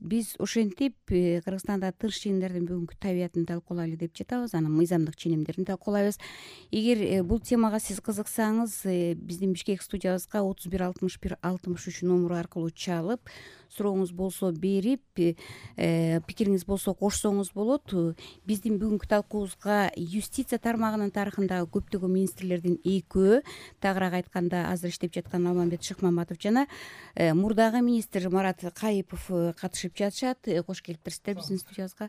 биз ошентип Кыргызстанда тынч ченемдердин бүгүнкү табиятын талкуулайлы деп жатабыз, анан мыйзамдык ченемдерин талкуулайбыз. Эгер бул темага сиз кызыксаңыз, биздин Бишкек студиябызга 31 61 63 номуру аркылуу чалып, сурооңуз болсо берип, пикириңиз болсо кошсоңуз болот. Биздин бүгүнкү талкуубузга юстиция тармагынын тарыхындагы көптөгөн министрлердин экөө, тагыраак айтканда азыр иштеп жаткан Алмамбет Шыкмаматов жана мурдагы министр Марат Кайыпов катышып жатышат. Кош келиптирсиздер биздин студиябызга.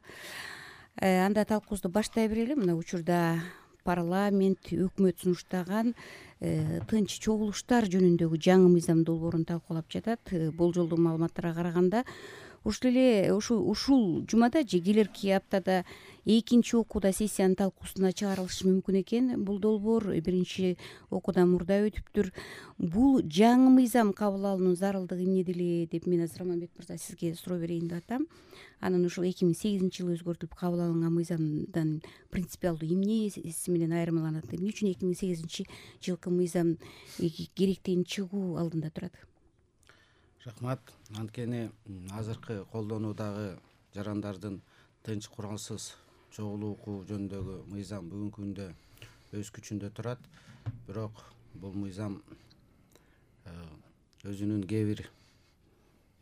Анда талкуубузду баштай берели. Мына учурда парламент, өкмөт сунуштаган тынч чогулуштар жөнүндөгү жаңы мыйзам долбоорун талкуулап жатат. Болжолдуу маалыматтарга караганда ушул жумада же келерки аптада экинчи окууда сессиянын талкуусуна чыгарылышы мүмкүн экен. Бул долбоор биринчи окуудан мурда өтүптүр. Бул жаңы мыйзам кабыл алуунун зарылдыгы эмнеде эле деп мен азыр Раманбет мырза сизге суроо берейин деп атам. Анан ушул 2008-жылы өзгөртүлүп кабыл алынган мыйзамдан принципиалдуу эмнеси менен айырмаланат? Эмне үчүн 2008-жылкы мыйзам керектигин чыгуу алдында турат? Рахмат. Анткени азыркы колдонуудагы жарандардын тынч куралсыз чогулуу укугу жөнүндөгү мыйзам бүгүнкү күндө өз күчүндө турат. Бирок бул мыйзам өзүнүн кээ бир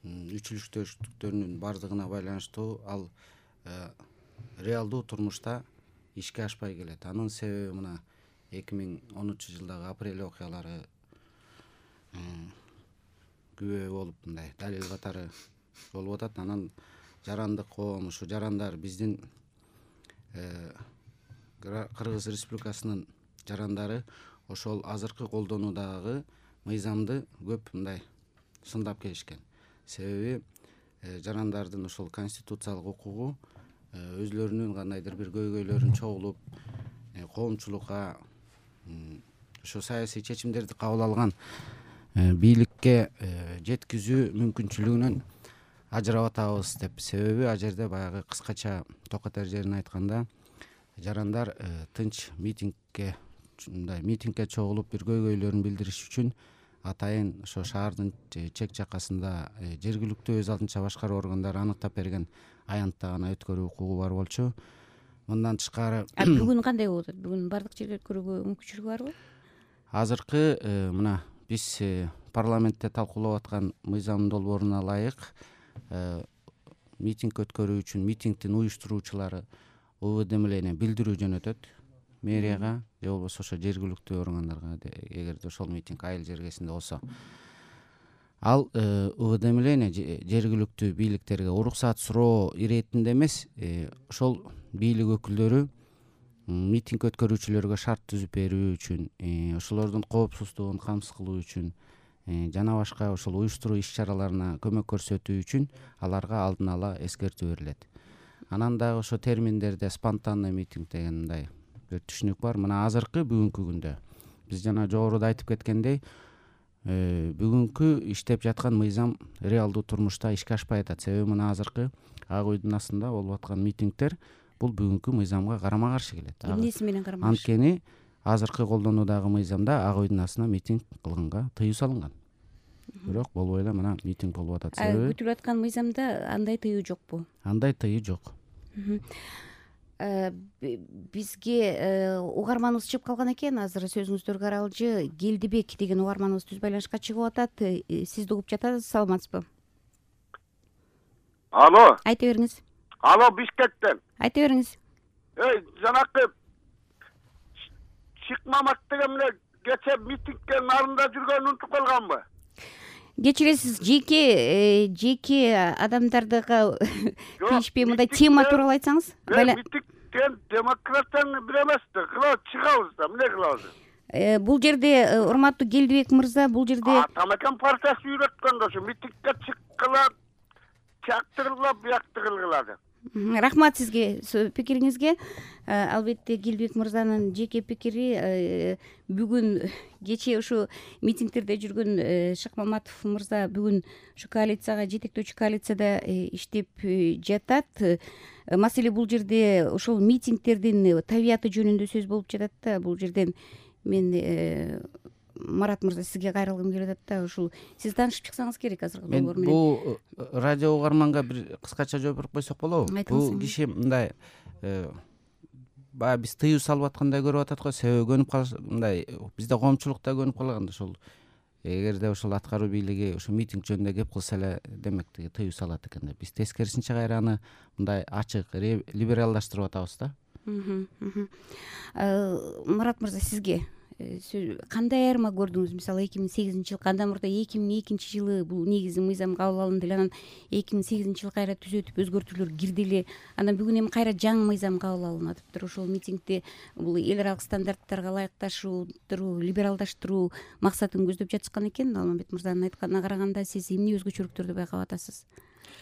үчүлүштөрүнүн бардыгына байланыштуу ал реалдуу турмушта ишке ашпай келет. Анын себеби мына 2010-жылдагы апрель окуялары күбө болуп мындай далил катары болуп атат. Анан жарандык коом, ушу жарандар биздин Кыргыз Республикасынын жарандары ошол азыркы колдонуудагы мыйзамды көп мындай сындап келишкен. Себеби жарандардын ошол конституциялык укугу өзлөрүнүн кандайдыр бир көйгөйлөрүн чогулуп, коомчулукка ошо саясий чечимдерди кабыл алган бийликке жеткизүү мүмкүнчүлүгүнөн ажырап атабыз деп. Себеби ал жерде баягы кыскача токот эрежелерин айтканда жарандар тынч митингге чогулуп бир көйгөйлөрүн билдириш үчүн атайын ошо шаардын чек жакасында жергиликтүү өз алдынча башкаруу органдары аныктап берген аянтта гана өткөрүү укугу бар болчу. Мындан тышкары бүгүн кандай болуп атат? Бүгүн бардык жерде өткөрүүгө мүмкүнчүлүгү барбы? Азыркы мына биз парламентте талкуулап аткан мыйзам долбооруна ылайык митинг өткөрүү үчүн митингдин уюштуруучулары УВД билдирүү жөнөтөт мэрияга же болбосо ошо жергиликтүү органдарга, эгерде ошол митинг айыл жергесинде болсо. Ал УВД жергиликтүү бийликтерге уруксаат суроо иретинде эмес, ошол бийлик өкүлдөрү митинг өткөрүүчүлөргө шарт түзүп берүү үчүн, ошолордун коопсуздугун камсыз кылуу үчүн жана башка ошол уюштуруу иш чараларына көмөк көрсөтүү үчүн аларга алдын ала эскертүү берилет. Анан дагы ошо терминдерде спонтанный митинг деген мындай бир түшүнүк бар. Мына азыркы бүгүнкү күндө биз жана жогоруда айтып кеткендей, бүгүнкү иштеп жаткан мыйзам реалдуу турмушта ишке ашпай атат. Себеби мына азыркы Ак Үйдүн астында болуп аткан митингдер бул бүгүнкү мыйзамга карама каршы келет. Эмнеси менен карама каршы? Анткени азыркы колдонуудагы мыйзамда Ак Үйдүн астына митинг кылганга тыюу салынган. Бирок болбой эле мына митинг болуп атат. Себеби күтүлүп аткан мыйзамда андай тыюу жокпу? Андай тыюу жок. Бизге угарманыбыз чыгып калган экен. Азыр сөзүңүздөргө аралжы Келдибек деген угарманыбыз түз байланышка чыгып атат. Сизди угуп жатабыз, саламатсызбы? Алло. Айта бериңиз. Алло, Бишкектен. Айта бериңиз. Жанакы Шыкмамат деген эле кече митингке нарында жүргөнүн унутуп калганбы? Кечиресиз, жеке адамдардыга тийишпей мындай тема тууралуу айтсаңыз. Митинг деген демократиянын бир эмеси. Чыгабыз да, эмне кылабыз? Бул жерде урматтуу Келдибек мырза, бул жерде Атамекен партиясы үйрөткөн ошо митингке чыккыла, чактыргыла, буяктыргыла. Рахмат сизге пикириңизге. Албетте Келдибек мырзанын жеке пикири. Бүгүн кечээ ушу митингдерде жүргөн Шыкмаматов мырза бүгүн ушу коалицияга, жетектөөчү коалицияда иштеп жатат. Маселе бул жерде ошол митингдердин табияты жөнүндө сөз болуп жатат да. Бул жерден мен Марат мырза, сизге кайрылгым келип атат да. Ушул сиз таанышып чыксаңыз керек азыркы мен долбоор менен. бул радио угарманга бир кыскача жооп берип койсок болобу? Бул киши мындай баягы биз тыюу салып аткандай көрүп атат го. Себеби көнүп калыш мындай бизде коомчулукта көнүп калган ошол эгерде ошол аткаруу бийлиги ошо митинг жөнүндө кеп кылса эле демек тиги тыюу салат экен деп. Биз тескерисинче кайра аны мындай ачык, либералдаштырып атабыз да. Марат мырза, сизге кандай айырма көрдүңүз? Мисалы 2008-жылы, андан мурда 2002-жылы бул негизи мыйзам кабыл алынды эле, анан 2008-жылы кайра түзөтүп өзгөртүүлөр кирди эле. Анан бүгүн эми кайра жаңы мыйзам кабыл алынатыптыр. Ошол митингди бул эл аралык стандарттарга ылайыкташуу, либералдаштыруу максатын көздөп жатышкан экен. Алмамбет мырзанын айтканына караганда сиз эмне өзгөчөлүктөрдү байкап атасыз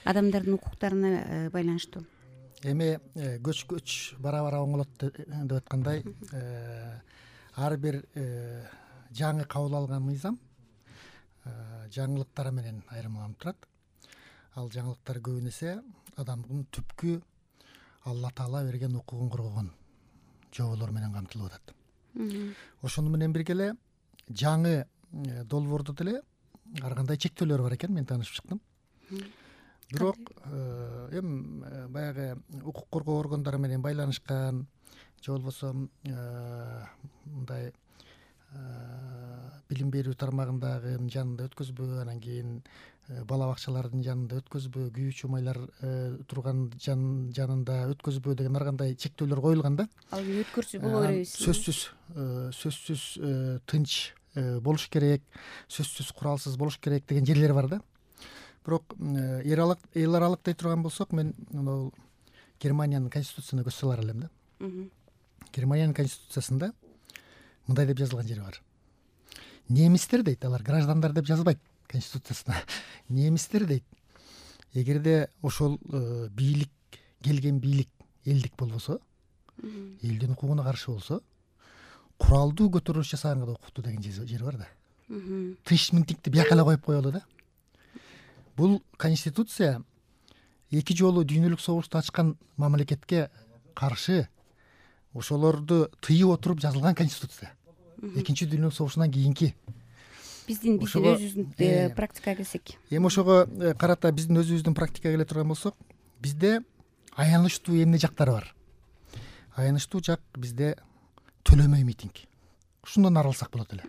адамдардын укуктарына байланыштуу? Эми көч бара оңолот деп айткандай, ар бир жаңы кабыл алган мыйзам жаңылыктар менен айырмаланып турат. Ал жаңылыктар көбүн эсе адамдын түпкү Алла Таала берген укугун коргогон жоболор менен камтылып атат. Ошону менен бирге эле жаңы долбоордо деле ар кандай чектөөлөр бар экен, мен таанышып чыктым. Бирок эми баягы укук коргоо органдары менен байланышкан же болбосо мындай билим берүү тармагындагы жанында өткөзбөө, анан кийин бала бакчалардын жанында өткөзбөө, күйүүчү чумайлар турган жанында өткөзбөө деген ар кандай чектөөлөр коюлган да. Ал өткөрсө боло беребиз. Сөзсүз тынч болуш керек, сөзсүз куралсыз болуш керек деген жерлер бар да. Бирок эл аралык дей турган болсок, мен Германиянын конституциясына көз салар элем да. Германиянын конституциясында мындай деп жазылган жери бар. Немистер дейт, алар граждандар деп жазбайт конституциясына. Немистер дейт. Эгерде ошол бийлик, келген бийлик элдик болбосо, элдин укугуна каршы болсо, куралдуу көтөрүлүш жасаганга да укуктуу деген жери бар да. Тынч митингди бияка эле коюп коелу да. Бул конституция эки жолу дүйнөлүк согушту ачкан мамлекетке каршы ошолорду тыйып отуруп жазылган конституция. Экинчи дүйнөлүк согушунан кийинки. Биздин өзүбүздүн практикага келсек. Эми ошого карата биздин өзүбүздүн практикага келе турган болсок, бизде аянычтуу эмне жактары бар. Аянычтуу жак бизде төлөмөй митинг. Ушундан арылсак болот эле.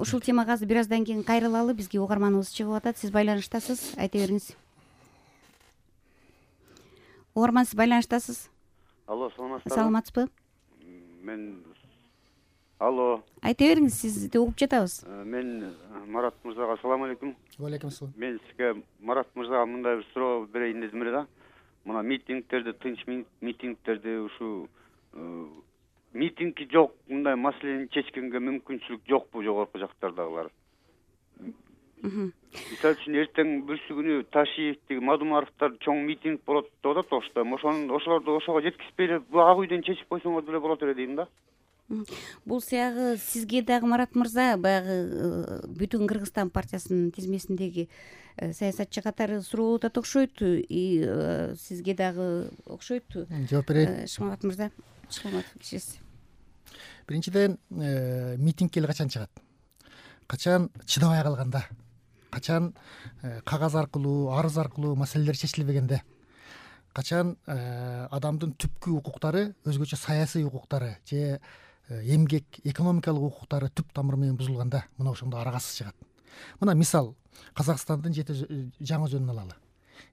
Ушул темага азыр бир аздан кийин кайрылалы. Бизге угарманыбыз чыгып атат. Сиз байланыштасыз, айта бериңиз. Угарман, сиз байланыштасыз. Алло, саламатсызбы? Саламатсызбы? Алло. Айта бериңиз, сизди угуп жатабыз. Мен Марат мырзага салам алейкум. Алейкум ассалам. Мен сизге Марат мырзага мындай бир суроо берейин дедим эле да. Мына митингтерди, тынч митингтерди ушу митинги жок, мындай маселени чечкенге мүмкүнчүлүк жокпу жогорку жактардагылар? Мисалы үчүн эртең бүрсү күнү Ташиевдеги Мадумаровдор чоң митинг болот деп атат Ошто. Ошолорду ошого жеткизбей эле ак үйдөн чечип койсоңор деле болот эле дейм да. Бул сыягы сизге дагы Марат мырза баягы Бүтүн Кыргызстан партиясынын тизмесиндеги саясатчы катары суроо болуп атат окшойт. Сизге дагы окшойт. Жооп берейин. Шымамат мырза, Шымамат кишиси. Биринчиден, митингке эле качан чыгат? Качан чыдабай калганда? Качан кагаз аркылуу, арыз аркылуу маселелер чечилбегенде? Качан адамдын түпкү укуктары, өзгөчө саясий укуктары же эмгек, экономикалык укуктары түп тамыры менен бузулганда, мына ошондо аргасыз чыгат. Мына мисал, Казакстандын жаңы жөнүн алалы.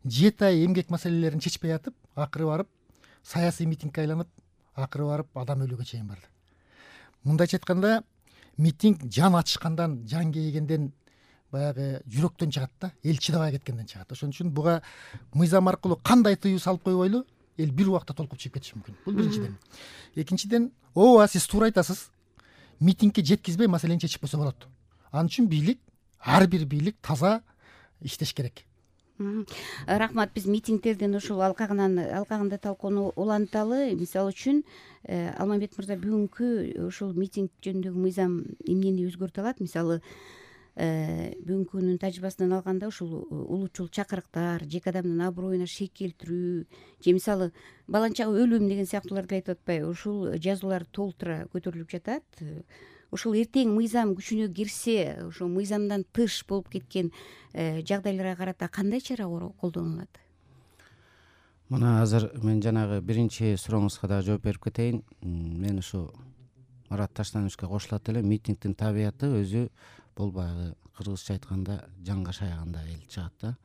7 ай эмгек маселелерин чечпей атып, акыры барып саясий митингге айланып, акыры барып адам өлүүгө чейин барды. Мындайча айтканда, митинг жан ачышкандан, жан кейгенден, баягы жүрөктөн чыгат да, эл чыдабай кеткенден чыгат. Ошон үчүн буга мыйзам аркылуу кандай тыюу салып койбойлу, эл бир убакта толкуп чыгып кетиши мүмкүн. Бул биринчиден. Экинчиден, ооба, сиз туура айтасыз. Митингке жеткизбей маселени чечип койсо болот. Ал үчүн бийлик, ар бир бийлик таза иштеш керек. Рахмат. Биз митингтердин ушул алкагында талкууну уланталы. Мисалы үчүн Алмамбет мырза бүгүнкү ушул митинг жөнүндөгү мыйзам эмнени өзгөртө алат? Мисалы бүгүнкүнүн тажрыйбасынан алганда ушул улуучул чакырыктар, жеке адамдын аброюна шек келтирүү же мисалы баланчага өлүм деген сыяктууларды айтып атпайбы? Ушул жазуулар толтура көтөрүлүп жатат. ошол эртең мыйзам күчүнө кирсе ошо мыйзамдан тыш болуп кеткен жагдайларга карата кандай чара колдонулат? Мына азыр мен жанагы биринчи сурооңузга дагы жооп берип кетейин. Мен ушу Марат Таштановичке кошулат элем. Митингдин табияты өзү бул баягы кыргызча айтканда жанга шаяганда эл чыгат да.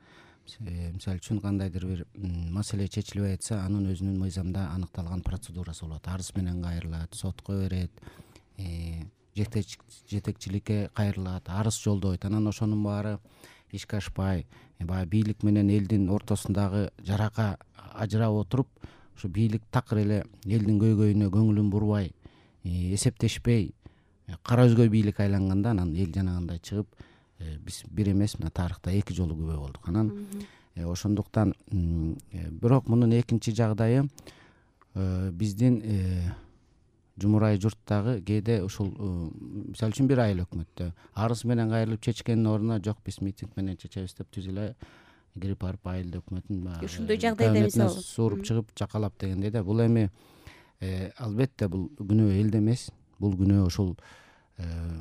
Мисалы үчүн кандайдыр бир маселе чечилбей атса, анын өзүнүн мыйзамда аныкталган процедурасы болот. Арыз менен кайрылат, сотко берет, жетекчиликке кайрылат, арыз жолдойт. Анан ошонун баары ишке ашпай, баягы бийлик менен элдин ортосундагы жарака ажырап отуруп, ушу бийлик такыр эле элдин көйгөйүнө көңүлүн бурбай, эсептешпей, кара өзгөй бийлик айланганда анан эл жанагындай чыгып, биз бир эмес, мына тарыхта 2 жолу күбө болдук. Анан ошондуктан бирок мунун экинчи жагдайы биздин жумурай журттагы кээде ушул мисалы үчүн бир айыл өкмөттө арыз менен кайрылып чечкендин ордуна жок биз митинг менен чечебиз деп түз эле кирип барып айыл өкмөтүн баягы ошондой жагдайда мисалы сууруп чыгып жакалап дегендей да. Бул эми албетте бул күнөө элде эмес, бул күнөө ошол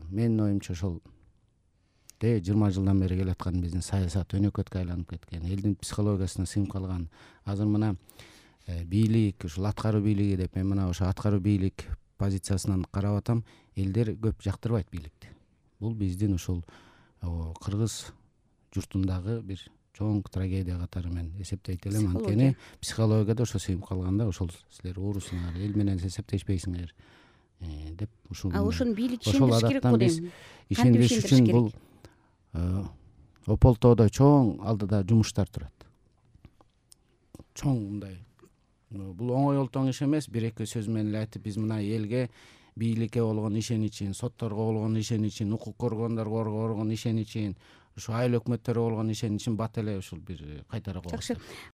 менин оюмча ошол 20 жылдан бери келаткан биздин саясат өнөкөткө айланып кеткен, элдин психологиясына сиңип калган. Азыр мына бийлик, ушул аткаруу бийлиги деп мен мына ошо аткаруу бийлик позициясынан карап атам, элдер көп жактырбайт бийликти. Бул биздин ушул кыргыз журтундагы бир чоң трагедия катары мен эсептейт элем. Анткени психологияда ошо сиңип калганда, ошол силер уурусуңар, эл менен эсептешпейсиңер деп ушул ошону бийлик ишендириш керек го дейм. Ишендириш үчүн бул Ополтоодо чоң алдыда жумуштар турат. Чоң мындай. Бул оңой олтоң иш эмес. Бир-эки сөз менен эле айтып, биз мына элге бийликке болгон ишеничин, сотторго болгон ишеничин, укук коргондорго болгон ишеничин, ушу айыл өкмөттөргө болгон ишеничин бат эле ушул бир кайтара коебуз. Жакшы.